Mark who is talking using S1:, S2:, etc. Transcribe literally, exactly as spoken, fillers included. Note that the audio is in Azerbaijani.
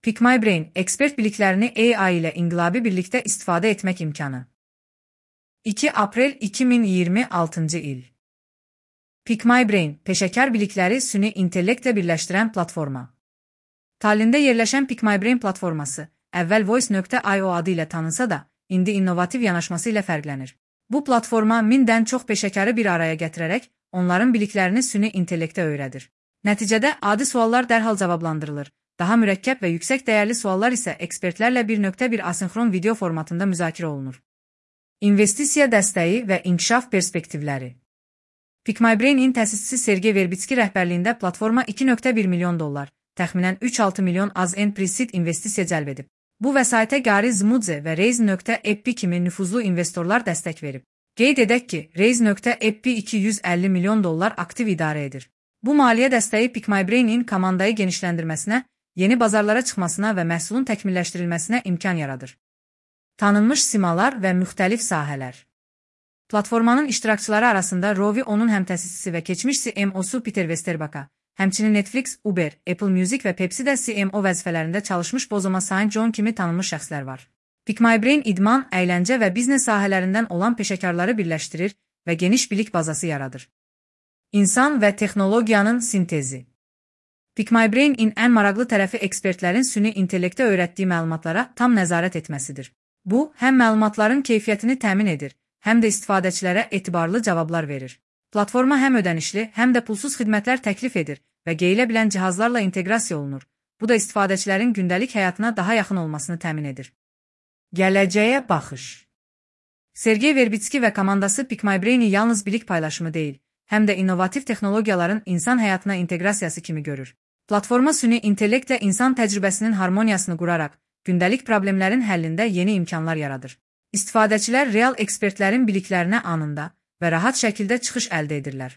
S1: PickMyBrain, ekspert biliklərini A I ilə inqilabi birlikdə istifadə etmək imkanı. iki aprel iki min iyirmi altıncı il. PickMyBrain, peşəkar bilikləri süni intellektlə birləşdirən platforma. Tallində yerləşən PickMyBrain platforması, əvvəl voice nöqtə i o adı ilə tanınsa da, indi innovativ yanaşması ilə fərqlənir. Bu platforma mindən çox peşəkarı bir araya gətirərək, onların biliklərini süni intellektə öyrədir. Nəticədə adi suallar dərhal cavablandırılır. Daha mürəkkəb və yüksək dəyərli suallar isə ekspertlərlə bir nöqtə bir asinxron video formatında müzakirə olunur. İnvestisiya dəstəyi və inkişaf perspektivləri. PickMyBrain-in təsisçisi Sergey Verbitski rəhbərliyində platforma iki nöqtə bir milyon dollar, təxminən üç altı milyon az en pre-seed investisiya cəlb edib. Bu vəsaitə Gary Zmudze və Raise nöqtə e p kimi nüfuzlu investorlar dəstək verib. Qeyd edək ki, Raise nöqtə e p iki yüz əlli milyon dollar aktiv idarə edir. Bu maliyyə dəstəyi PickMyBrain-in komandayı genişləndirməsinə, yeni bazarlara çıxmasına və məhsulun təkmilləşdirilməsinə imkan yaradır. Tanınmış simalar və müxtəlif sahələr. Platformanın iştirakçıları arasında Rovi onun həmtəsisçisi və keçmiş C M O-su Peter Westerbacka, həmçinin Netflix, Uber, Apple Music və Pepsi-də C M O vəzifələrində çalışmış Bozoma Saint John kimi tanınmış şəxslər var. PickMyBrain idman, əyləncə və biznes sahələrindən olan peşəkarları birləşdirir və geniş bilik bazası yaradır. İnsan və texnologiyanın sintezi. PickMyBrain-in ən maraqlı tərəfi ekspertlərin süni intellektə öyrətdiyi məlumatlara tam nəzarət etməsidir. Bu, həm məlumatların keyfiyyətini təmin edir, həm də istifadəçilərə etibarlı cavablar verir. Platforma həm ödənişli, həm də pulsuz xidmətlər təklif edir və geyilə bilən cihazlarla inteqrasiya olunur. Bu da istifadəçilərin gündəlik həyatına daha yaxın olmasını təmin edir. Gələcəyə baxış. Sergey Verbitski və komandası PickMyBrain-i yalnız bilik paylaşımı deyil, həm də innovativ texnologiyaların insan həyatına inteqrasiyası kimi görür. Platforma süni intellektlə insan təcrübəsinin harmoniyasını quraraq, gündəlik problemlərin həllində yeni imkanlar yaradır. İstifadəçilər real ekspertlərin biliklərinə anında və rahat şəkildə çıxış əldə edirlər.